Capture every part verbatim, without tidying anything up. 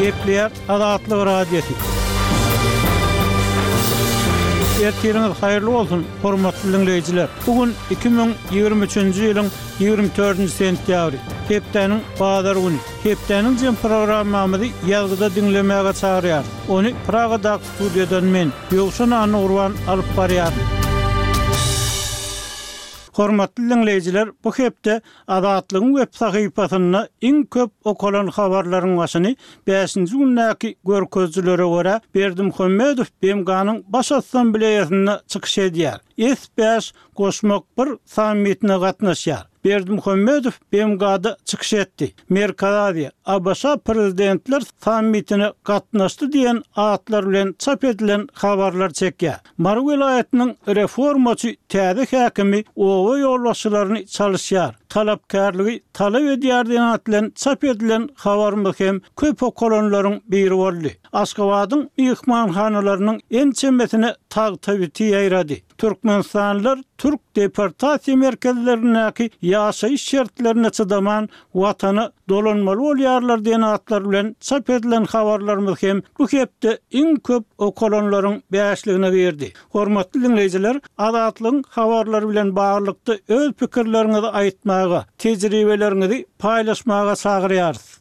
Gepleýär Azatlyk Radiosy. Ertiriňiz haýyrly bolsun, hormatly diňleýjiler! Bu gün iki müň ýigrimi üçünji ýylyň ýigrimi dördünji sentýabry, hepdäniň bazar güni. Hepdäniň jem programmamyzy ýazgyda diňlemäge çagyrýarys. Ony Pragadaky studiýadan men, Ýowşan Annagurban alyp barýaryn. Hormatly diňleýjiler, bu hepde Azatlygyň web sahypasynda iň köp okalan habarlaryň başyny bäşinji gündäki görkezijilere görä, Berdimuhamedow BMG-niň Baş Assambleýasynda çykyş edýär, S bäş goşmak bir sammitine gatnaşýar. Berdimuhamedow BMG-da çykyş etdi, Merkezi Aziýa, ABŞ Prezidentler sammitine gatnaşdy diýen atlar bilen çap edilen habarlar çekýär. Mary welaýatynyň reformaçy täze häkimi oba ýolbaşçylaryny çalyşýar, talapkärligi talap edýär diýen at bilen çap edilen habarymyz hem köp okalanlaryň biri boldy. Aşgabadyň myhmanhanalarynyň ençemesine tagta biti ýaýrady. Türkmenistanlylar türk deportasiýa merkezlerindäki ýaşaýyş şertlerine çydaman, Watana dolanmaly bolýarlar diýen atlar bilen çap edilen habarlarymyz hem bu hepde iň köp okalanlaryň bäşligine girdi. Hormatly diňleýjiler, Azatlygyň habarlary bilen baglylykda öz pikirleriňizi aýtmaga, tejribeleriňizi paýlaşmaga çagyrýarys.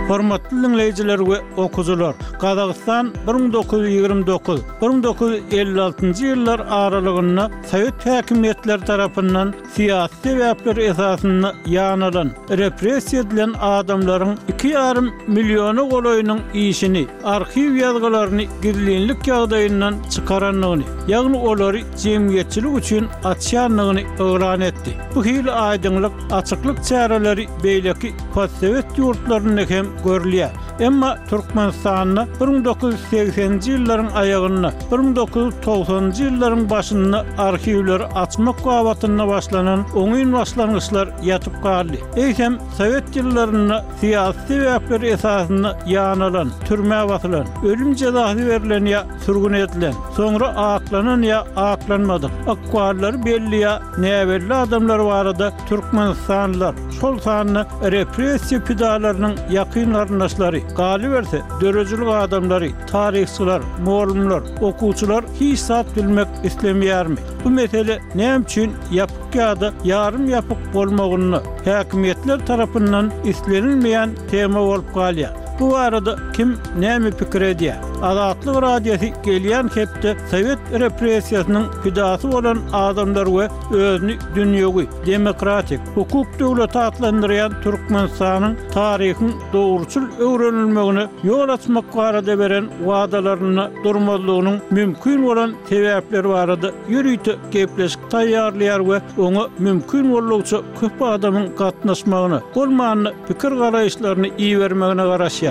Hormatly diňleýjiler we okyjylar, Gazagystan bir müň dokuz ýüz ýigrimi dokuz, bir müň dokuz ýüz elli altynjy ýyllar aralygynda sowet häkimiýetleri tarapyndan syýasy sebäpler esasynda ýanalan, repressiýa edilen adamlaryň iki ýarym milliona golaýynyň işini, arhiw ýazgylaryny gizlinlik ýagdaýyndan çykarandygyny, ýagny olary jemgyýetçilik üçin açýandygyny yglan etdi. Bu hili aýdyňlyk, açyklyk çäreleri beýleki postsowet ýurtlarynda hem görülýär. Emma Türkmenistanda bir müň dokuz ýüz segseninji ýyllaryň aýagynda, bir müň dokuz ýüz togsanynjy ýyllaryň başynda arhiwleri açmak babatynda başlanan oňyn başlangyçlar ýatyp galdy. Eýsem, sowet ýyllarynda syýasy sebäpler esasynda ýanalan, türmä basylan, ölüm jezasy berlen ýa sürgün edilen, soňra aklanan ýa aklanmadyk, ykballary belli ýa näbelli adamlar barada türkmenistanlylar, şol sanda repressiýa pidalarynyň ýakyn garyndaşlary, galyberse, döredijilik adamlary, taryhçylar, mugallymlar, okuwçylar hiç zat bilmek islemeýärmi? Bu mesele näme üçin ýapyk ýa-da ýarym ýapyk bolmagynda häkimiýetler tarapyndan islenilmeýän tema bolup galýar? Bu barada kim näme pikir edýär? Azatlyk Radiosy gelýän hepde sowet repressiýasynyň pidasy bolan adamlar we özüni dünýewi, demokratik, hukuk döwleti atlandyrýan Türkmenistanyň taryhyň dogruçyl öwrenilmegine ýol açmak barada beren wadalarynda durmazlygynyň mümkin bolan sebäpleri barada ýörite gepleşik taýýarlaýar we oňa mümkin boldugyça köp adamyň gatnaşmagyna, bolmanda pikir-garaýyşlaryny ibermegine garaşýar.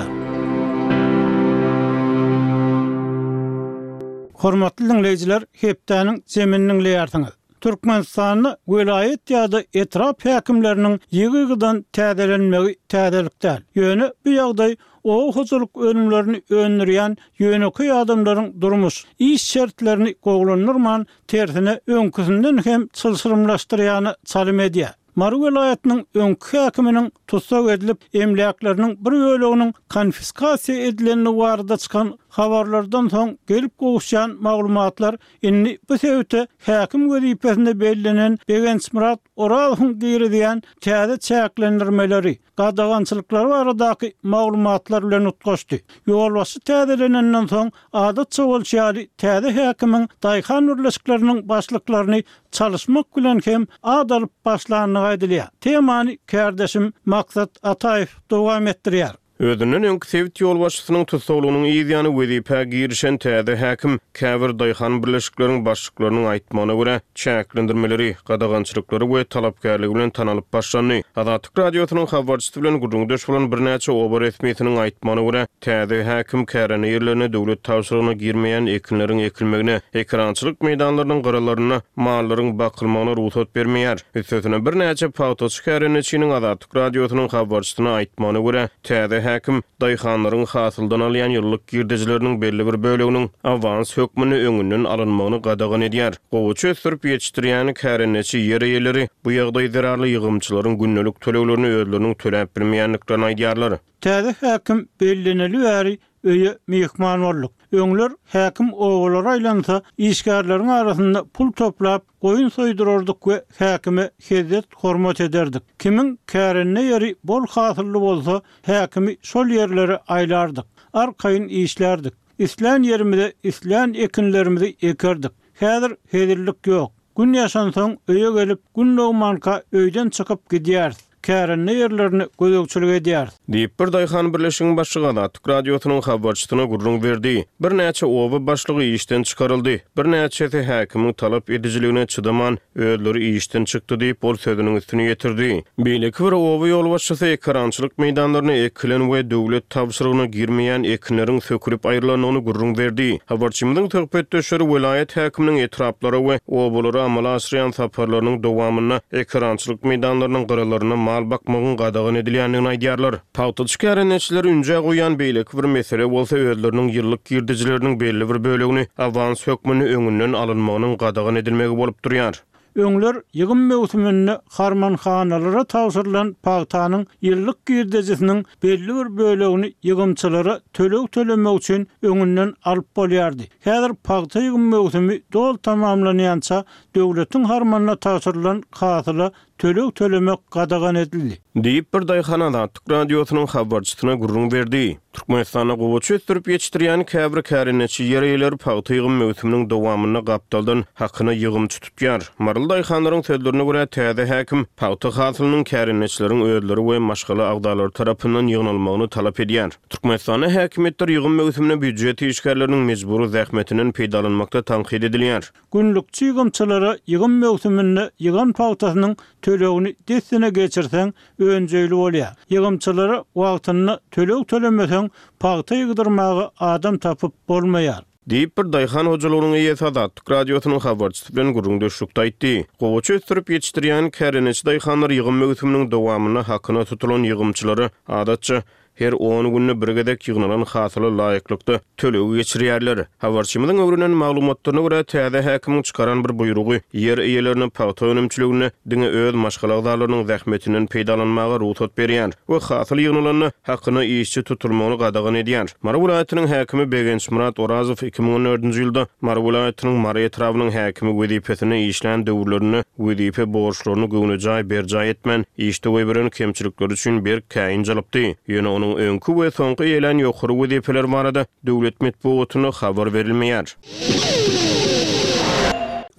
Hormatly diňleýjiler, hepdäniň jemini diňleýärsiňiz. Türkmenistanda welaýat ýa-da etrap häkimleriniň ýygy-ýygydan täzelenmegi täzelik däl. Ýöne bu ýagdaý oba hojalyk önümlerini öndürýän ýönekeý adamlaryň durmuş, iş şertlerini gowulandyrman, tersine öňküsinden hem çylşyrymlaşdyrýana çalym edýär. Mary welaýatynyň öňki häkiminiň tussag edilip, emläkleriniň bir böleginiň konfiskasiýa edilendigi barada çykan habarlardan soň gelip gowuşýan maglumatlar indi bu sebite häkim wezipesine bellenen Begençmyrat Orazowyň girizýän täze çäklendirmeleri, gadagançylyklary baradaky maglumatlar bilen utgaşdy. Ýolbaşçy täzelenenden soň, adatça bolşy ýaly, täze häkimiň daýhan birleşikleriniň başlyklaryny çalyşmak bilen hem at alyp başlandygy aýdylýar. Temany kärdeşim Maksat Ataýew dowam etdirýär. Özünden öňki sebit ýolbaşçysynyň tussaglygynyň yz ýany wezipä girişen täze häkim käbir daýhan birleşikleriň başlyklarynyň aýtmagyna görä, çäklendirmeleri, gadagançylyklary we talapkärligi bilen tanalyp başlandy. Azatlyk Radiosynyň habarçysy bilen gürrüňdeş bolan birnäçe oba resmisiniň aýtmagyna görä, täze häkim kärende ýerlerine döwlet tabşyrygyna girmeýän ekinleriň ekilmegine, ekerançylyk meýdanlarynyň gyralarynda mallaryň bakylmagyna rugsat bermeýär. Üstesine, birnäçe pagtaçy kärendeçiniň Azatlyk Radiosynyň habarçysyna aýtmagyna görä, täze häkim daýhanlaryň hasyldan alýan ýyllyk girdejileriniň belli bir böleginiň awans hökmünde öňünden alynmagyny gadagan edýär. Gowaça ösdürip ýetişdirýän kärendeçi ýer eýeleri bu ýagdaý zerarly ýygymçylaryň gündelik töleglerini özleriniň töläp bilmeýändiklerini aýdýarlar. Täze häkim belleneli bäri öýe myhman bolduk. Öňler häkim obalara aýlansa, işgärleriň arasynda pul toplap, goýun soýdurardyk we häkime hezzet hormat ederdik. Kimiň kärende ýeri bol hasylly bolsa, häkimi şol ýerlere aýlardyk. Arkaýyn işlerdik. Islän ýerimize islän ekinlerimizi ekerdik. Häzir hezillik ýok. Gün ýaşansoň öýe gelip, gün dogmanka öýden çykyp gidýäris. Kärende ýerlerini gözegçilik edýäris. Diýip, bir daýhan birleşigiň başlygy Azatlyk Radiosynyň habarçysyna gürrüň berdi. Birnäçe oba başlygy işden çykaryldy. Birnäçesi häkimiň talap edijiligine çydaman, özleri işden çykdy diýip, ol sözüniň üstüni ýetirdi. Beýleki bir oba ýolbaşçysy ekerançylyk meýdanlaryna ekilen we döwlet tabşyrygyna girmeýän ekinleriň sökülip aýrylandygyny gürrüň berdi. Habarçymyzyň söhbetdeşleri welaýat häkiminiň etraplara we obalara amala aşyrýan saparlarynyň dowamynda ekerançylyk meýdanlarynyň gyralaryna mal bakmagyň gadagan edilýändigini aýdýarlar. Pagtaçy kärendeçileri ünjä goýýan beýleki bir mesele bolsa özleriniň ýyllyk girdejileriniň belli bir bölegini awans hökmünde öňünden alynmagynyň gadagan edilmegi bolup durýar. Öňler ýygym möwsüminde harmanhanalara tabşyrylan pagtanyň ýyllyk girdejisiniň belli bir bölegini ýygymçylara töleg tölemek üçin öňünden alyp bolýardy. Häzir pagta ýygym möwsümi doly tamamlanýança döwletiň harmanyna tabşyrylan hasyla töleg tölemek gadagan edildi. Diýip, bir daýhan Azatlyk Radiosynyň habarçysyna gürrüň berdi. Türkmenistanda gowaça ösdürip ýetişdirýän käbir kärendeçi ýer eýeleri pagta ýygym möwsüminiň dowamynda gapdaldan hakyna ýygymçy tutýar. Maryly daýhanlaryň sözlerine görä, täze häkim pagta hasylynyň kärendeçileriň özleri we maşgala agzalary tarapyndan ýygnalmagyny talap edýär. Türkmenistanda häkimiýetler ýygym möwsüminde býujet işgärleriniň mejbury zähmetinden peýdalanmakda tankyt edilýär. Günlükçi ýygymçylara ýygym möwsüminde ýygan pagtasynyň tölegini dessine geçirseň önjeýli bolýar. Ýygymçylara wagtynda töleg tölemeseň pagta ýygdyrmaga adam tapyp bolmaýar. Diýip, bir daýhan hojalygynyň eýesi Azatlyk Radiosynyň habarçysy bilen gürrüňdeşlikde aýtdy. Gowaça ösdürip ýetişdirýän kärendeçi daýhanlar ýygym möwsüminiň dowamynda hakyna tutulan ýygymçylara adatça her on günde bir gezek ýygnalan hasyla laýyklykda tölegi geçirýärler. Habarçymyzyň öwrenen maglumatlaryna görä, täze häkimiň çykaran bir buýrugy ýer eýelerine pagta önümçiliginde diňe öz maşgala agzalarynyň zähmetinden peýdalanmaga rugsat berýär we hasyl ýygnalanda hakyna işçi tutulmagyny gadagan edýär. Mary welaýatynyň häkimi Begençmyrat Orazow iki müň on dördünji ýylda Mary welaýatynyň Mary etrabynyň häkimi wezipesinde işlän döwürlerinde wezipe borçlaryny göwnejaý berjaý etmän, işde goýberen kemçilikleri üçin berk käýinç alypdy. Ýöne onuň öňki we soňky eýelän ýokary wezipeler barada döwlet metbugatynda habar berilmeýär.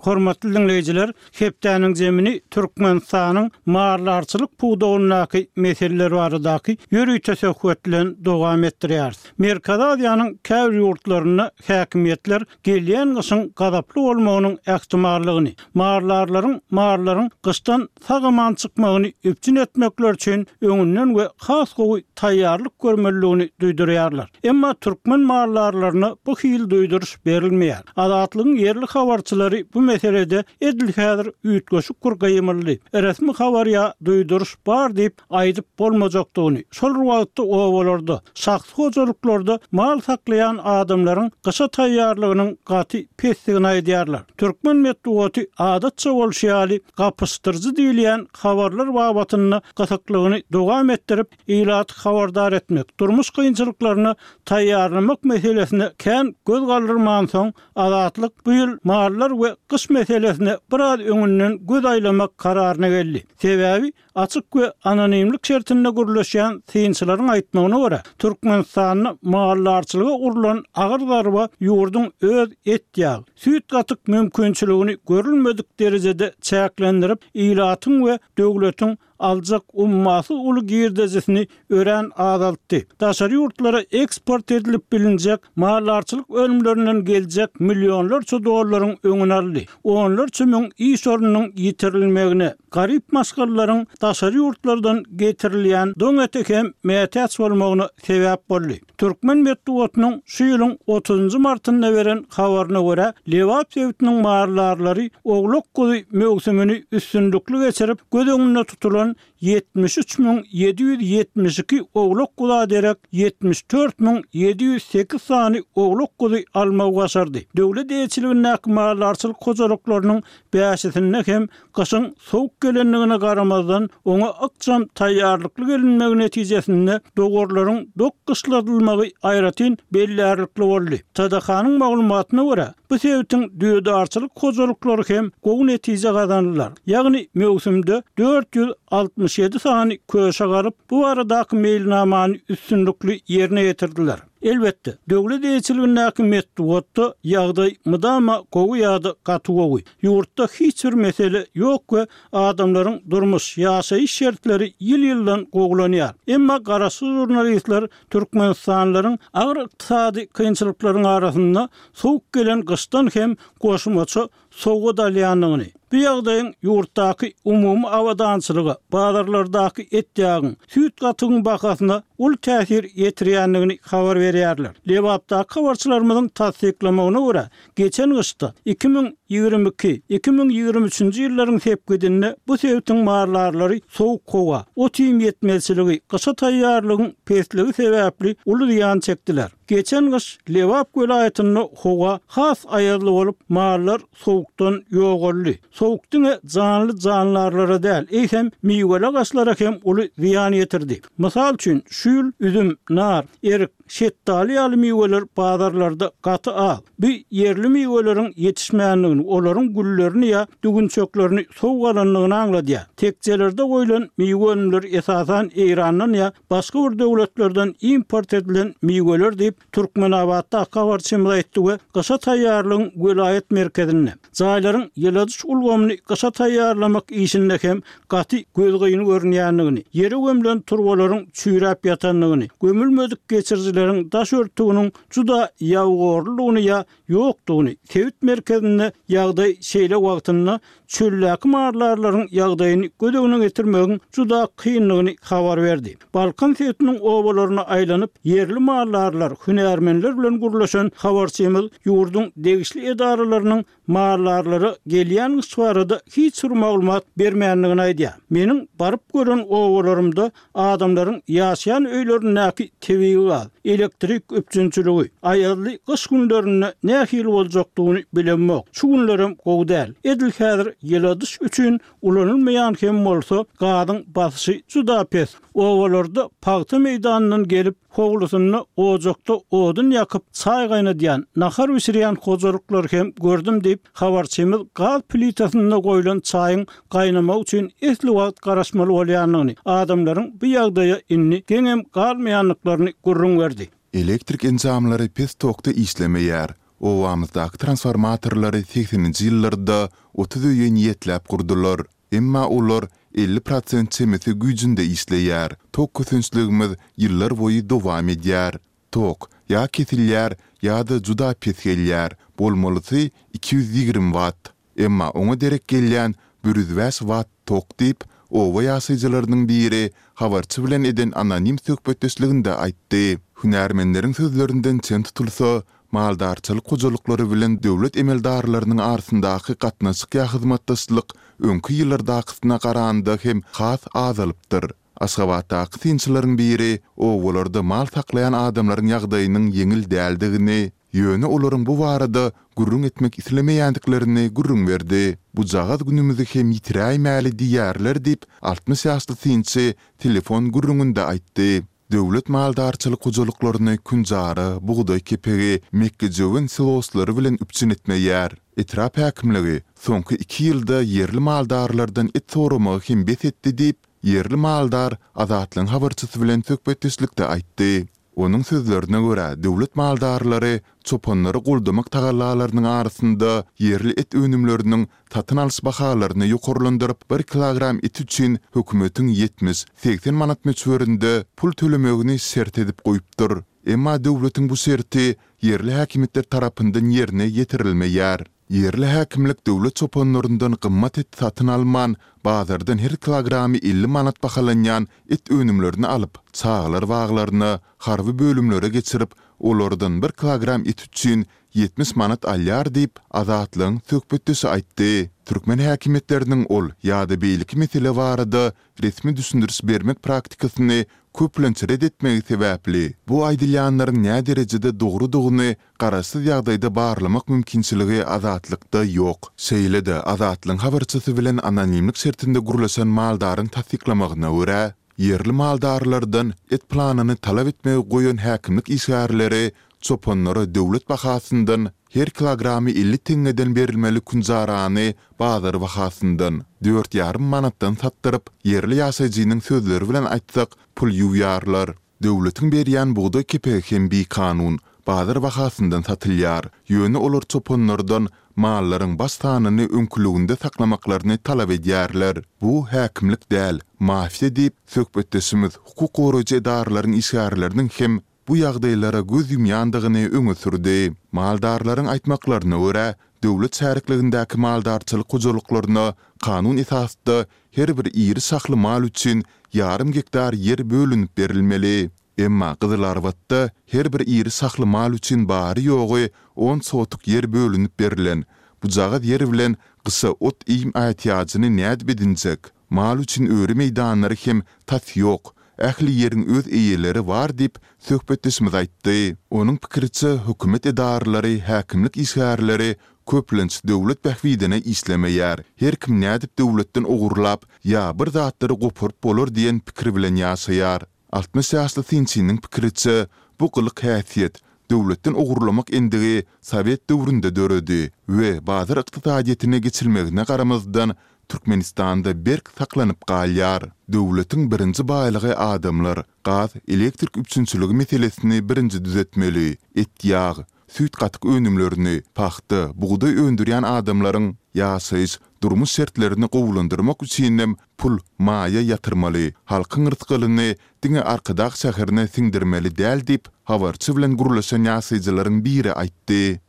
Hormatly dinleýjiler, hepdäniň zemini Türkmenistanyň maldarçylyk pudagyndaky meseleler baradaky ýörite söhbet bilen dowam etdirýäris. Merkezi Aziýanyň käbir ýurtlarynda häkimiýetler gelýän gyşyň gazaply bolmagynyň ähtimallygyny, maldarlaryň mallaryň gyşdan sag-aman çykmagyny üpjün etmekler üçin öňünden we has gowy taýýarlyk görmelidigini duýdurýarlar. Emma türkmen maldarlaryna bu hil duýduryş berilmeýär. Azatlygyň ýerli habarçylary bu meselede edil häzir üýtgeşik bir gyýmyldy. Resmi habar ýa duýduryş bar diýip aýdyp bolmajakdygyny, şol wagtda obalarda, şahsy hojalyklarda mal saklaýan adamlaryň gyşa taýýarlygynyň gaty pesdigini aýdýarlar. Türkmen metbugaty adatça bolşy ýaly gapyşdyryjy diýilýän habarlar babatynda gysyklygyny dowam etdirip, ilaty habardar etmek, durmuş kynçylyklaryna taýýarlamak meselesine kän göz galdyrmansoň, Azatlyk bu ýyl mallar we gyş meselesine biraz öňünden göz aýlamak kararyna geldi. Sebäbi açyk we anonimlik şertinde gürleşýän synçylaryň aýtmagyna görä, Türkmenistanda maldarçylyga urulan agyr zarba ýurduň öz et ýag, süýt gatyk mümkinçiligini görülmedik derejede çäklendirip, ilatyň we döwletiň aljak ummasyz uly girdejisini örän azaltdy. Daşary ýurtlara eksport edilip bilinjek maldarçylyk önümlerinden geljek millionlarça dollaryň öňüni aldy. Onlarça müň iş ornunyň ýitirilmegine, garyp maşgalalaryň daşary ýurtlardan getirilýän doň ete hem mätäç bolmagyna sebäp boldy. Türkmen metbugatynyň şu ýylyň otuzynjy martynda beren habaryna görä, Lebap sebitiniň maldarlary oglak guzy möwsümini üstünlikli geçirip, göz öňünde tutulan dowarlardan ýetmiş üç müň ýedi ýüz ýetmiş iki owlak-guza derek ýetmiş dört müň ýedi ýüz sekiz sany owlak-guzy almagy başardy. Döwlet eýeçiligindäki maldarçylyk hojalyklarynyň bäşisinde hem gyşyň sowuk gelendigine garamazdan, oňa ykjam taýýarlykly gelinmegi netijesinde dowarlaryň dok gyşladylmagy aýratyn bellärlikli boldy. T D K-nyň maglumatyna görä, bu sebitiň düýedarçylyk hojalyklary hem gowy netije gazandylar. Ýagny möwsümde dört ýüz altmyş ýedi sany köşek alyp, bu baradaky meýilnamany üstünlikli ýerine ýetirdiler. Elbetde, döwlet eýeçiligindäki metbugatda ýagdaý mydama gowy ýa-da gaty gowy. Ýurtda hiç bir mesele ýok we adamlaryň durmuş, ýaşaýyş şertleri ýyl-ýyldan gowulanýar. Emma garaşsyz žurnalistler türkmenistanlylaryň agyr ykdysady kynçylyklaryň arasynda sowuk gelen gyşdan hem goşmaça sowgat alýandygyny, bu ýagdaýyň ýurtdaky umumy abadançylyga, bazarlardaky et-ýagyň, süýt gatygyň bahasyna uly täsir ýetirýändigini habar berýärler. Lebapdaky habarçylarymyzyň tassyklamagyna görä, geçen gyşda iki müň ýigrimi iki, iki müň ýigrimi üçünji ýyllaryň sepgidinde bu sebitiň maldarlary sowuk howa, ot-iým ýetmezçiligi, gyşa taýýarlygyň pesligi sebäpli uly zyýan çekdiler. Geçen gyş Lebap welaýatynda howa has aýazly bolup, mallar sowukdan ýogaldy. Sowuk diňe janly jandarlara däl, eýsem miweli agaçlara hem uly zyýan ýetirdi. Mysal üçin, şu ýyl üzüm, nar, erik, şetdaly ýaly miweler bazarlarda gaty az. Bu ýerli miweleriň ýetişmändigini, olaryň güllerini ýa düwünçeklerini sowuk alandygyny aňladýar. Tekjelerde goýlan miwe önümleri esasan Eýrandan ýa başga bir döwletlerden import edilen miweler diýip, Türkmenabatdaky habarçymyz aýtdy we gyşa taýýarlygyň welaýat merkezinde jaýlaryň ýyladyş ulgamyny gyşa taýýarlamak işinde hem gaty gözgyny görünýändigini, ýere gömlen turbalaryň çüýräp ýatandygyny, gömülmedik geçirijileriň daş örtüginiň juda ýabygorludygyny ýa ýokdugyny, sebit merkezinde ýagdaý şeýle wagtynda çöldäki maldarlaryň ýagdaýyny göz öňüne getirmegiň juda kyndygyny habar berdi. Balkan sebitiniň obalaryna aýlanyp, ýerli maldarlar, hünärmenler bilen gürleşen habarçymyz ýurduň degişli edaralarynyň maldarlara gelýän gyş barada hiç bir maglumat bermändigini aýdýar. Meniň baryp gören obalarymda adamlaryň ýaşaýan öýlerindäki tebigy gaz, elektrik üpjünçiligi, aýazly gyş günlerinde nähili boljakdygyny bilemok. Şu günlerem gowy däl. Edil häzir ýyladyş üçin ulanylmaýan hem bolsa gazyň basyşy juda pes. Obalarda pagta meýdanyndan gelip, howlusynda ojakda odun ýakyp, çaý gaýnadýan, nahar bişirýän hojalyklar hem gördüm diýip, habarçymyz gaz plitasynda goýlan çaýyň gaýnamagy üçin esli wagt garaşmaly bolýandygyny, adamlaryň bu ýagdaýa indi geňem galmaýandyklaryny gürrüň berdi. Elektrik enjamlary pes tokda işlemeýär. Obamyzdaky transformatorlary segseninji ýyllarda otuz öýe niýetläp gurdular. Emma olar elli prosent çemesi güýjünde işleýär. Tok kösençligimiz ýyllar boýy dowam edýär. Tok ýa kesilýär ýa-da juda pes gelýär. Bolmalysy iki ýüz ýigrimi watt. Emma oňa derek gelýän bir ýüz bäş watt tok diýip, oba ýaşaýjylarynyň biri habarçy bilen eden anonim söhbetdeşliginde aýtdy. Hünärmenleriň sözlerinden çen tutulsa, maldarçylyk hojalyklary bilen döwlet emeldarlarynyň arasyndaky gatnaşyk ýa hyzmatdaşlyk öňki ýyllardakysyna garanda hem has azalypdyr. Aşgabatdaky synçylaryň biri obalarda mal saklaýan adamlaryň ýagdaýynyň ýeňil däldigini, ýöne olaryň bu barada gürrüň etmek islemeýändiklerini gürrüň berdi. Bujagaz günümizi hem ýitiräýmäli diýýärler diýip, altmyş ýaşly synçy telefon gürrüňinde aýtdy. Döwlet maldarçylyk hojalyklaryny künjara, bugdaý kepegi, mekgejöwen siloslary bilen üpjün etmeýär. Etrap häkimligi soňky iki ýylda ýerli maldarlardan et soramagy hem bes etdi diýip, ýerli maldar Azatlygyň habarçysy bilen söhbetdeşlikde aýtdy. Onuň sözlerine görä, döwlet maldarlary çopanlary goldamak tagallalarynyň arasynda ýerli et önümleriniň satyn alyş bahalaryny ýokarlandyryp, bir kilogram et üçin hökümetiň ýetmiş, segsen manat möçberinde pul tölemegini şert edip goýupdyr. Emma döwletiň bu şerti ýerli häkimiýetler tarapyndan ýerine ýetirilmeýär. Ýerli häkimlik döwlet çopanlaryndan gymmat et satyn alman, bazardan her kilogramy elli manat bahalanýan et önümlerini alyp, çagalar baglaryna, harby bölümlere geçirip, olardan bir kilogram et üçin ýetmiş manat alýar diýip, Azatlygyň söhbetdeşi aýtdy. Türkmen häkimiýetleriniň ol ýa-da beýleki mesele barada resmi düşündiriş bermek praktikasyny köplenç ret etmegi sebäpli, bu aýdylýanlaryň näderejede dogrudygyny garaşsyz ýagdaýda barlamak mümkinçiligi Azatlykda ýok. Şeýle-de, Azatlygyň habarçysy bilen anonimlik şertinde gürleşen maldaryň tassyklamagyna görä, ýerli maldarlardan et planyny talap etmegi goýan häkimlik işgärleri çopanlara döwlet bahasyndan her kilogramy elli teňňeden berilmeli künjarany bazar bahasyndan, dört ýarym manatdan satdyryp, ýerli ýaşaýjynyň sözleri bilen aýtsak, pul ýuwýarlar. Döwletiň berýän bugdaý kepegi hem bikanun, bazar bahasyndan satylýar. Ýöne olar çopanlardan mallaryň baş sanyny öňküliginde saklamaklaryny talap edýärler. Bu häkimlik däl, mafiýa diýip, söhbetdeşimiz hukuk goraýjy edaralaryň işgärleriniň hem bu ýagdaýlara göz ýumýandygyny öňe sürdi. Maldarlaryň aýtmaklaryna görä, döwlet şärikligindäki maldarçylyk hojalyklaryna kanun esasda her bir iri şahly mal üçin ýarym gektar ýer bölünip berilmeli. Emma Gyzylarbatda her bir iri şahly mal üçin bary-ýogy on sotuk ýer bölünip berlen. Bujagaz ýer bilen gyşa ot-iým ätiýajyny nädip edinjek? Mal üçin öri meýdanlary hem tas ýok. Ähli ýeriň öz eýeleri bar diýip, söhbetdeşimiz aýtdy. Onuň pikiriçe, hökümet edaralary, häkimlik işgärleri köplenç döwlet bähbidine işlemeýär. Her kim nädip döwletden ogurlap ýa bir zatlary goparyp bolar diýen pikir bilen ýaşaýar. Altmyş ýaşly synçynyň pikiriçe, bu gylyk-häsiýet, döwletden ogurlamak endigi sowet döwründe döredi we bazar ykdysadyýetine geçilmegine garamazdan, Türkmenistanda berk saklanyp galýar. Döwletiň birinji baýlygy adamlar, gaz, elektrik üpjünçiligi meselesini birinji düzetmeli, et-ýag, süýt-gatyk önümlerini, pagta, bugdaý öndürýän adamlaryň ýaşaýyş, durmuş şertlerini gowulandyrmak üçinem pul, maýa ýatyrmaly, halkyň rysgalyny diňe Arkadag şäherine siňdirmeli däl diýip, habarçy bilen gürleşen ýaşaýjylaryň biri aýtdy.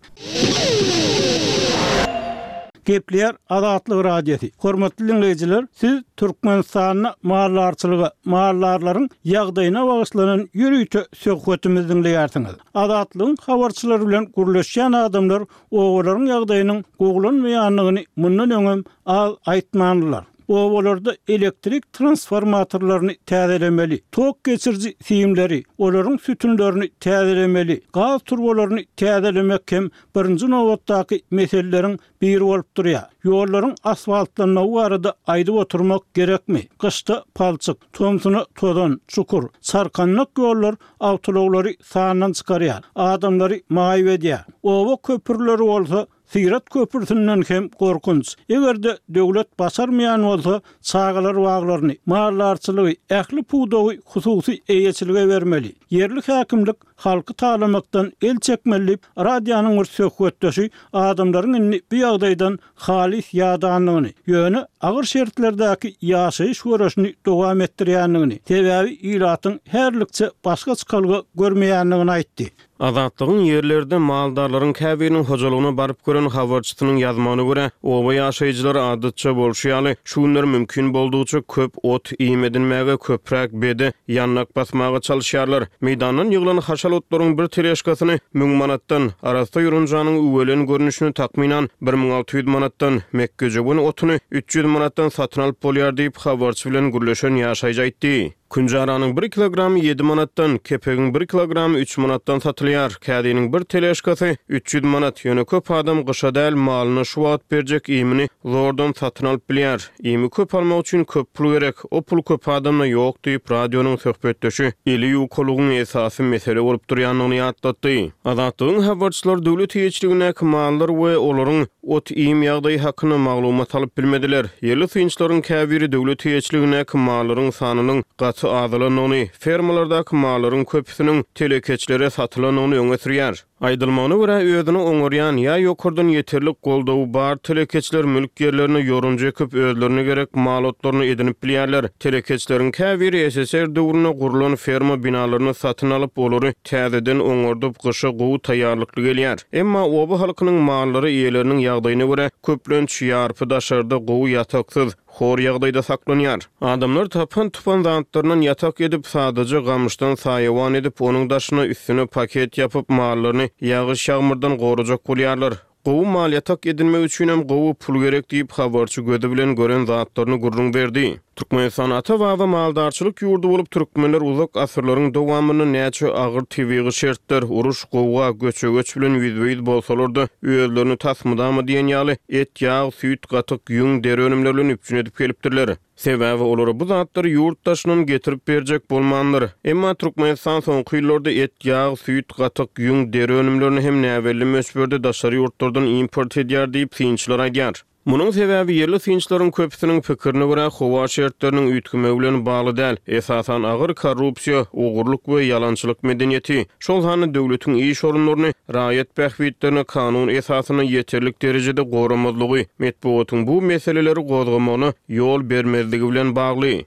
Gepleýär Azatlyk Radiosy. Hormatly diňleýjiler, siz Türkmenistanda maldarçylyga, maldarlaryň ýagdaýyna bagyşlanan ýörite söhbetimizi diňleýärsiňiz. Azatlygyň habarçylary bilen gürleşýän adamlar obalaryň ýagdaýynyň gowulanmaýandygyny mundan öňem az aýtmandylar. Obalarda elektrik transformatorlaryny täzelemeli, tok geçiriji simleri, olaryň sütünlerini täzelemeli, gaz turbalaryny täzelemek hem birinji nobatdaky meseleleriň biri bolup durýar. Ýollaryň asfaltlanmagy barada aýdyp oturmak gerekmi? Gyşda palçyk, tomsuna tozan, çukur, çarkandak ýollar awtoulaglary sandan çykarýar, adamlary maýyp edýär. Oba köprüleri bolsa Syrat köprüsinden hem gorkunç. Eger-de döwlet başarmaýan bolsa, çagalar baglaryny, maldarçylygy, ähli pudagy hususy eýeçilige bermeli. Ýerli häkimlik halky talamakdan el çekmeli diýip, radionyň bir söhbetdeşi adamlaryň indi bu ýagdaýdan halys ýadandygyny, ýöne agyr şertlerdäki ýaşaýyş göreşini dowam etdirýändigini, sebäbi ilatyň häzirlikçe başga çykalga görmeýändigini aýtdy. Azatlygyň ýerlerde maldarlaryň käbiriniň hojalygyna baryp gören habarçysynyň ýazmagyna görä, oba ýaşaýjylary adatça bolşy ýaly, şu günler mümkin boldugyça köp ot-iým edinmäge, köpräk bede, ýandak basmaga çalyşýarlar. Meýdandan ýyglan haşal otlaryň bir teležkasyny müň manatdan, arassa ýorunjanyň üwelen görnüşini takmynan bir müň alty ýüz manatdan, mekgejöwen otuny üç ýüz manatdan satyn alyp bolýar diýip, habarçy bilen gürleşen ýaşaýjy aýtdy. Künjaranyň bir kilogramy ýedi manatdan, kepegiň bir kilogramy üç manatdan satylýar. Kädiniň bir teležkasy üç ýüz manat. Ýöne köp adam gyşa däl, malyna şu wagt berjek iýmini zordan satyn alyp bilýär. Iými köp almak üçin köp pul gerek. O pul köp adamda ýok diýip, radionyň söhbetdeşi eli ýukalygyň esasy mesele bolup durýandygyny ýatlatdy. Azatlygyň habarçylary döwlet eýeçiligindäki mallar we olaryň ot-iým ýagdaýy hakynda maglumat alyp bilmediler. Ýerli synçylaryň käbiri döwlet eýeçiligindäki mallaryň sanynyň gaty azalandygyny, fermalardaky mallaryň köpüsiniň telekeçilere satylandygyny öňe sürýär. Aýdylmagyna görä, özüni oňarýan ýa ýokardan ýeterlik goldawy bar telekeçiler mülk ýerlerine ýorunja ekip, özlerine gerek mal otlaryny edinip bilýärler. Telekeçileriň käbiri ssr döwründe gurlan ferma binalaryny satyn alyp, olary täzeden oňardyp, gyşa gowy taýýarlykly gelýär. Emma oba halkynyň mallary eýeleriniň ýagdaýyna görä, köplenç ýarpy daşarda gowy ýataksyz, hor ýagdaýda saklanýar. Adamlar tapan-tupan zatlaryndan ýatak edip, sadaja gamyşdan saýawan edip, onuň daşyna üstüne paket ýapyp, mallaryny mallaryny ýagyş-ýagmyrdan gorajak bolýarlar. Gowy mal ýatak edinmek üçinem gowy pul gerek diýip, habarçy gözi bilen gören zatlaryny gürrüň berdi. Türkmenistan ata-baba maldarçylyk ýurdy bolup, türkmenler uzak asyrlaryň dowamynda näçe agyr tebigy şertler, uruş, gowga, göçe-göç bilen ýüzbe-ýüz bolsalar-da, özlerini tas mydama diýen ýaly et, ýag, süýt, gatyk, ýüň, deri önümleri bilen üpjün edip gelipdirler. Sebäbi olara bu zatlary ýurt daşyndan getirip berjek bolmandyr. Emma Türkmenistan soňky ýyllarda et, ýag, süýt, gatyk, ýüň, deri önümlerini hem näbelli möçberde daşary ýurtlardan import edýär diýip, synçylar aýdýar. Munuň sebäbi ýerli synçylaryň köpüsiniň pikirine görä, howa şertleriniň üýtgemegi bilen bagly däl, esasan agyr korrupsiýa, ogurlyk we ýalançylyk medeniýeti, şol sanda döwletiň iş orunlaryny raýat bähbitlerini kanun esasynda ýeterlik derejede goramazlygy, metbugatyň bu meseleleri gozgamagyna ýol bermezligi bilen bagly.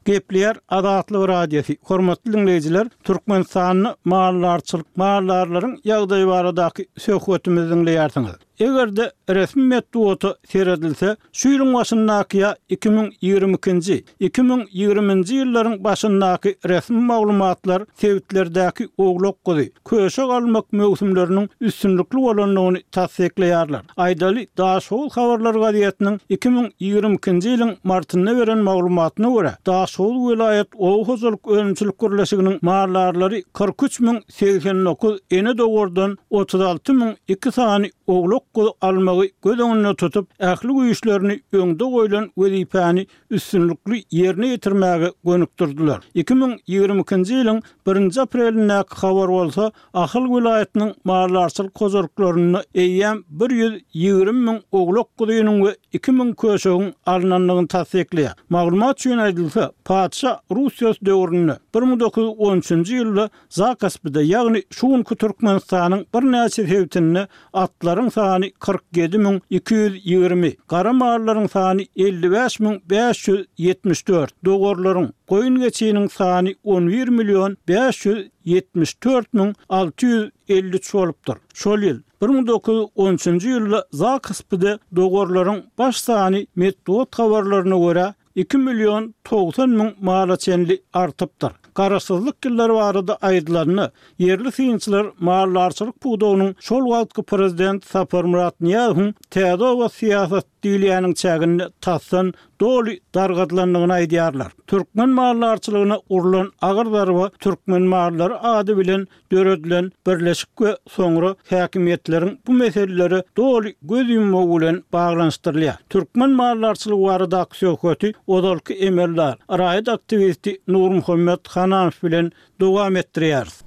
Gepleýär Azatlyk Radiosy. Hormatly diňleýjiler, Türkmenistanda maldarçylyk, maldarlaryň ýagdaýy baradaky söhbetimizi diňleýärsiňiz. Eger-de resmi metbugata seredilse, şu ýylyň başyndaky ýa iki müň ýigrimi ikinji, iki müň ýigriminji ýyllaryň başyndaky resmi maglumatlar sebitlerdäki owlak-guzy, köşek almak möwsümleriniň üstünlikli bolandygyny tassyklaýarlar. Aýdaly, Daşoguz habarlar gazetiniň iki müň ýigrimi ikinji ýylyň martynda beren maglumatyna görä, Daşoguz welaýat oba hojalyk önümçilik birleşiginiň maldarlary kyrk üç müň segsen dokuz ene dowardan otuz alty müň iki sany owlak-guzy almagy göz öňünde tutup, ähli güýçlerini öňde goýlan wezipäni üstünlikli ýerine ýetirmäge gönükdirdiler. Iki müň ýigrimi ikinji ýylyň birinji aprelindäki habar bolsa, Ahal welaýatynyň maldarçylyk hojalyklarynda eýýäm bir ýüz ýigrimi müň owlak-guzynyň we iki müň köşegiň alnandygyny tassyklaýar. Maglumat üçin aýdylsa, patyşa Russiýasy döwründe bir müň dokuz ýüz on üçünji ýylda Zakaspide, ýagny şu günki Türkmenistanyň birnäçe sebitinde atlaryň sany kyrk ýedi müň iki ýüz ýigrimi, gara mallaryň sany elli bäş müň bäş ýüz ýetmiş dört, dowarlaryň, goýun-geçiniň sany on bir million bäş ýüz ýetmiş dört müň alty ýüz elli üç bolupdyr. Şol ýyl, bir müň dokuz ýüz on üçünji ýylda Zakaspide dowarlaryň baş sany metbugat habarlaryna görä iki million togsan müň mala çenli artypdyr. Garaşsyzlyk ýyllary barada aýdylanda, ýerli synçylar maldarçylyk pudagynyň şol wagtky prezident Saparmyrat Nyýazowyň täze oba syýasaty diýilýäniň çäginde tasdan doly dargadylandygyny aýdýarlar. Türkmen maldarçylygyna urlan agyr zarba Türkmen mallary ady bilen döredilen birleşik we soňra häkimiýetleriň bu meselelere doly göz ýummagy bilen baglanyşdyrylýar. Türkmen maldarçylygy baradaky söhbeti ozalky emeldar, raýat aktiwisti Nurmuhammet Hananow bilen dowam etdirýäris.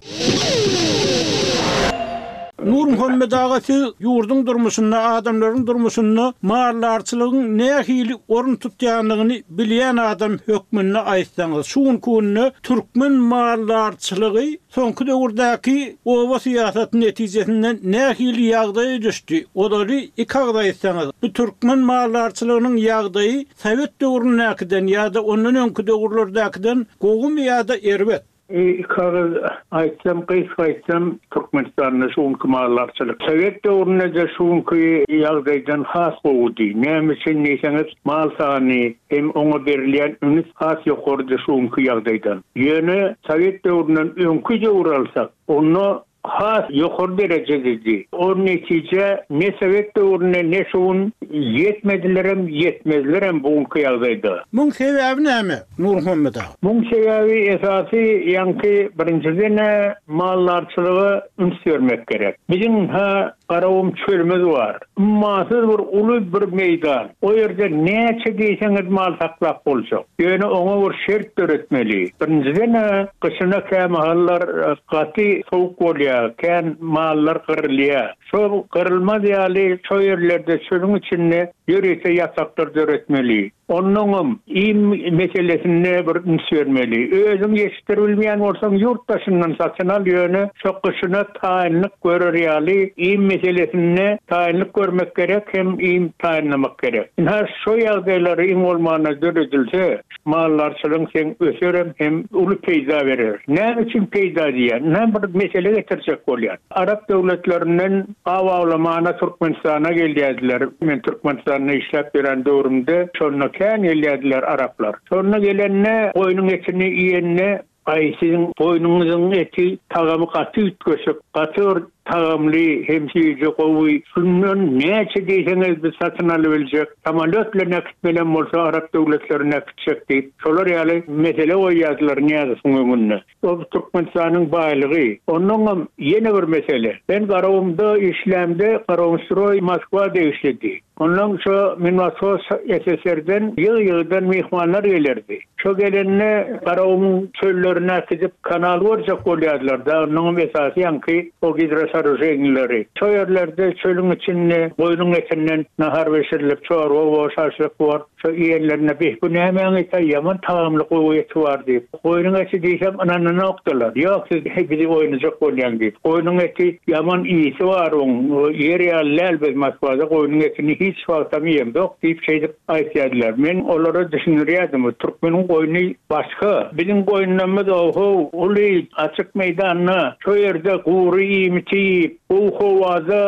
Nurmuhammet aga, siz ýurduň durmuşynda, adamlaryň durmuşynda maldarçylygyň nähili orun tutýandygyny bilýän adam hökmünde aýtsaňyz, şu günki günde türkmen maldarçylygy soňky döwürdäki oba syýasaty netijesinde nähili ýagdaýa düşdi? Olary iki agyz aýtsaňyz, bu türkmen maldarçylygynyň ýagdaýy sowet döwründäkiden ýa-da ondan öňki döwürlerdäkiden gowumy ýa-da erbet? Iki agyz aýtsam, gysga aýtsam, Türkmenistanda şu günki maldarçylyk sowet döwründe-de şu günki ýagdaýdan has gowudy. Näme üçin diýseňiz, mal sany hem oňa berilýän üns has ýokarydy şu günki ýagdaýdan. Ýöne sowet döwründen öňki döwür alsak, onda has ýokary derejededi. O netije ne sowet döwründe ne şu gün ýetmedilerem, ýetmezlerem bu günki ýagdaýda. Muň sebäbi näme, Nurmuhammet aga? Muň sebäbi esasy ýaňky birinjiden maldarçylyga üns bermek gerek. Biziň ha Garagum çölümiz bar. Ummasyz bir uly bir meýdan. O ýerde näçe diýseňiz mal saklap boljak. Ýöne oňa bir şert döretmeli. Birinjiden-ä gyşyna kämahallar gaty sowuk bolýar, kän mallar gyrylýar. Şol gyrylmaz ýaly şo ýerlerde çölüň içinde ýörite ýataklar döretmeli. Onnoňam iým meselesinde bir üns bermeli. Özüň ýetişdiribilmeýän bolsaň ýurt daşyndan satyn al, ýöne şo gyşyna taýynlyk görer ýaly iým meselesinde taýynlyk görmek gerek hem iým taýynlamak gerek. Ynha şo ýagdaýlary iň bolmanda döredilse, maldarçylygyň seň öserem hem uly peýda berer. Näme üçin peýda diýýän? Ynha bir mesele getirjek bolýan. Arap döwletlerinden aw awlamana Türkmenistana gelýärdiler. Men Türkmenistanda işläp ýören döwrümde şonda kän gelýärdiler araplar. Şonda gelende goýnuň etini iýende Aý, siziň goýnuňyzyň eti tagamy gaty üýtgeşik, gaty bir tagamly hem süýji, gowy. Şundan näçe diýseňiz biz satyn alybiljek, samolýot bilen äkitmelem bolsa arap döwletlerine äkitjek diýip, şolar ýaly mesele goýýardylar Nyýazowyň öňünde. O Türkmenistanyň baýlygy. Onnoňam ýene bir mesele. Men Garagumda işlämde Garagumstroý Moskwa degişlidi. Ondan şo Minwashoz S S R-den ýygy-ýygydan myhmanlar gelerdi. Şo gelende Garagumuň çöllerine äkidip kanal görjek bolýardylar da, onuň esasy ýaňky o gidrosoorujeniýaleri. Şo ýerlerde çölüň içinde goýnuň etinden nahar bişirilip, çorba bor, şaşlyk bor. Şo iýenlerine bih bu nämäň eti, ýaman tagamly gowy eti bar diýip. Goýnuň eti diýsem ynananokdylar. Ýok, siz bizi oýnajak bolýaň diýip. Goýnuň eti ýaman iýisi bar oň, ýer ýaly däl, biz Moskwada goýnuň etini hiç wagtam iýemzok diýip şeýdip aýtýardylar. Men olara düşündirýärdim, türkmeniň goýny başga. Biziň goýunlarymyz oho uly açyk meýdanda, şo ýerde gury iýmiti iýip, gowy howada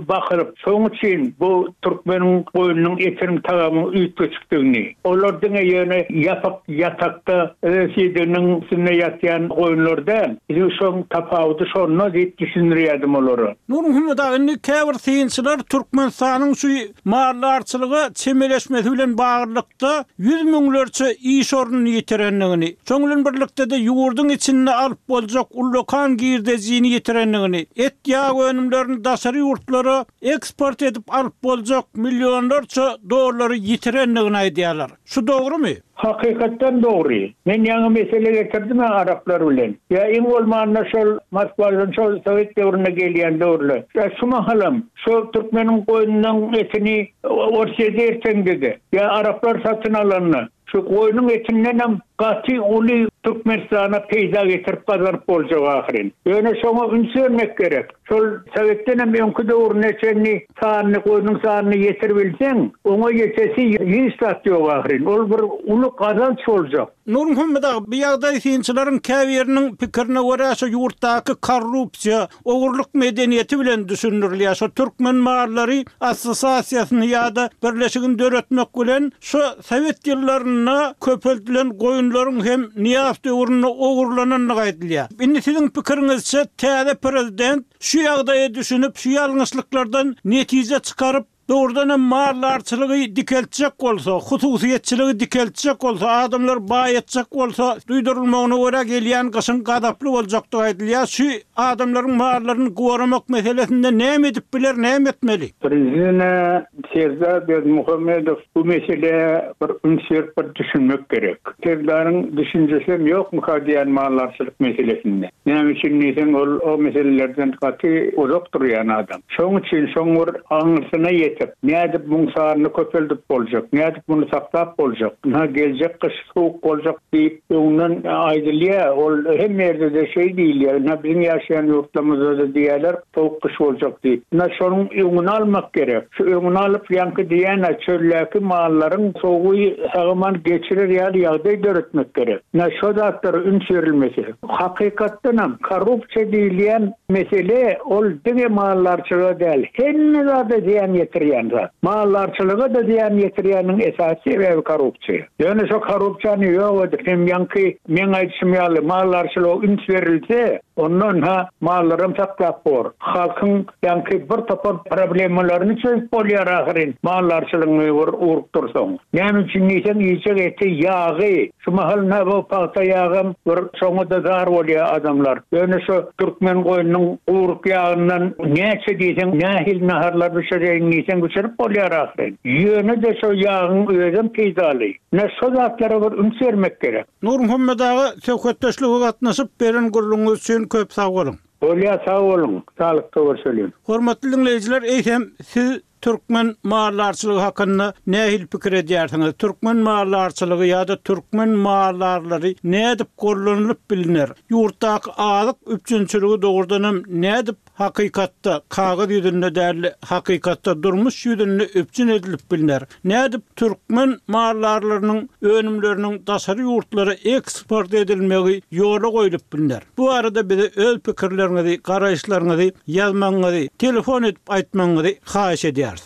bakyryp, şonuň üçin bu türkmeniň goýnunyň etiniň tagamy üýtgeşikdigini. Olar diňe ýöne ýapyk ýatakda siýdiginiň üstünde ýatýan goýunlar däl. Biziň şoň tapawudy şonda diýip düşündirýärdim olara. Nurmuhammet aga, indi käbir synçylar Türkmenistanyň şu maldarçylyga çemeleşmesi bilen baglylykda ýüz müňlerçe iş ornuny ýitirendigini, şoň bilen birlikde-de ýurduň içinde alyp boljak ullakan girdejini ýitirendigini, et ýag önümlerini daşary ýurtlara eksport edip alyp boljak millionlarça dollary ýitirendigini aýdýarlar. Şu dogrumy? Hakykatdan dogry. Men ýaňy mesele getirdim araplar bilen. Ýa iň bolmanda şol Moskwadan şol Sowet döwründe gelýän döwürler. Ýa şu mahalam şol türkmeniň goýnunyň etini Orsýete erteňde-de, ýa araplar satyn alanda şu goýnuň etindenem gaty uly Türkmenistana peýda getirip gazanyp boljak ahyryn. Ýöne şoňa üns bermek gerek. Şol Sowetdenem öňki döwrüne çenli sanyny, goýnuň sanyny ýetirip bilseň, oňa ýetesi hiç zat ýok ahyryn. Ol bir uly gazanç boljak. Nurmuhammet aga, bu ýagdaý synçylaryň käbiriniň pikirine görä şu ýurtdaky korrupsiýa, ogurlyk medeniýeti bilen düşündirilýär. Şu türkmen mallary assosiasiýasyny ýa-da birleşigini döretmek bilen şu Sowet ýyllarynda köpeldilen goýunlaryň hem Nyýazow döwründe ogurlanandygy aýdylýar. Indi siziň pikiriňizçe täze prezident şu ýagdaýa düşünip, şu ýalňyşlyklardan netije çykaryp, dogrudan hem maldarçylygy dikeltjek bolsa, hususyýetçiligi dikeltjek bolsa, adamlar baý etjek bolsa, duýdurylmagyna görä gelýän gyşyň gazaply boljakdygy aýdylýar. Şu adamlaryň mallaryny goramak meselesinde näme edip biler, näme etmeli? Prezident Serdar Berdimuhamedow bu mesele bir üns berip bir düşünmek gerek. Serdaryň düşünjesi hem ýokmuka diýen maldarçylyk meselesinde. Näme üçin diýseň, ol o meselelerden gaty uzak durýan adam. Şonuň üçin şoň bir aňyrsyna ýetip, nädip muň sanyny köpeldip boljak, nädip muny saklap boljak, ynha geljek gyş sowuk boljak diýip öňünden aýdylýar. Ol hemme ýerde-de şeý diýilýär. Ynha biziň ýaşaýan ýurtlarymyzda-da diýýärler, sowuk gyş boljak diýip. Ynha şonuň öňüni almak gerek. Şu öňüni alyp ýaňky diýýän çöldäki mallaryň sowugy sagaman geçirer ýaly ýagdaý döretmek gerek. Ynha şo zatlara üns berilmesi. Hakykatdanam korrupsiýa diýilýän mesele ol diňe maldarçylyga däl, hemme zada zyýan ýetirýän zat. Maldarçylyga-da zyýan ýetirýäniň esasy sebäbi korrupsiýa. Ýöne şo korrupsiýany ýok edip, hem ýaňky meň aýdyşym ýaly maldarçylyga üns berilse, ondan ha mallaram saklap bor. Halkyň ýaňky bir topar problemalaryny çözüp bolýar ahyryn. Maldarçylygyny bir urup dursaň. Näme üçin diýseň, iýjek eti, ýagy, şu mahal na bu pagta ýagam bir şoňa-da zar bolýar adamlar. Ýöne şu türkmen goýnunyň guwruk ýagyndan näçe diýseň, nähili naharlar bişireýin diýseň bişirip bolýar ahyryn. Ýöne-de şo ýagyň özem peýdaly. Ne şo zatlara bir üns bermek gerek. Nurmuhammet aga, söhbetdeşlige gatnaşyp beren gürrüňiňiz üçin köp sag boluň. Bolýar, sag boluň. Saglykda görşeliň. Hormatly dinleýjiler, eýsem siz türkmen maldarçylygy hakynda nähili pikir edýärsiňiz? Türkmen maldarçylygy ýa-da türkmen maldarlary nädip gollanylyp biliner? Ýurtdaky azyk üpjünçiligi dogrudan hem nädip hakykatda kagyz ýüzünde däl, hakykatda durmuş ýüzünde üpjün edilip biliner? Nädip türkmen maldarlarynyň önümleriniň daşary ýurtlara eksport edilmegi ýola goýlup biliner? Bu arada bize öz pikirleriňizi, garaýyşlaryňyzy ýazmagyňyzy, telefon edip aýtmagyňyzy haýyş edýäris.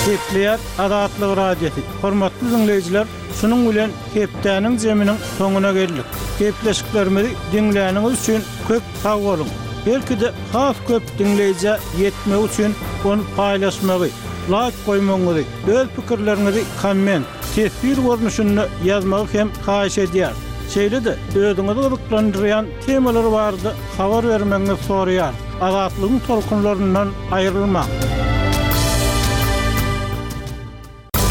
Gepleýär Azatlyk Radiosy. Hormatly dinleýjiler, Şunuň bilen hepdäniň zeminiň soňuna geldik. Gepleşiklerimizi diňläniňiz üçin köp sag boluň. Belki-de has köp diňleýjä ýetmek üçin ony paýlaşmagy, laýk goýmagyňyzy, öz pikirleriňizi komment, teswir görnüşinde ýazmagy hem haýyş edýär. Şeýle-de özüňizi gyzyklandyrýan temalar barada habar bermegiňizi soraýar. Azatlygyň tolkunlaryndan aýrylmaň.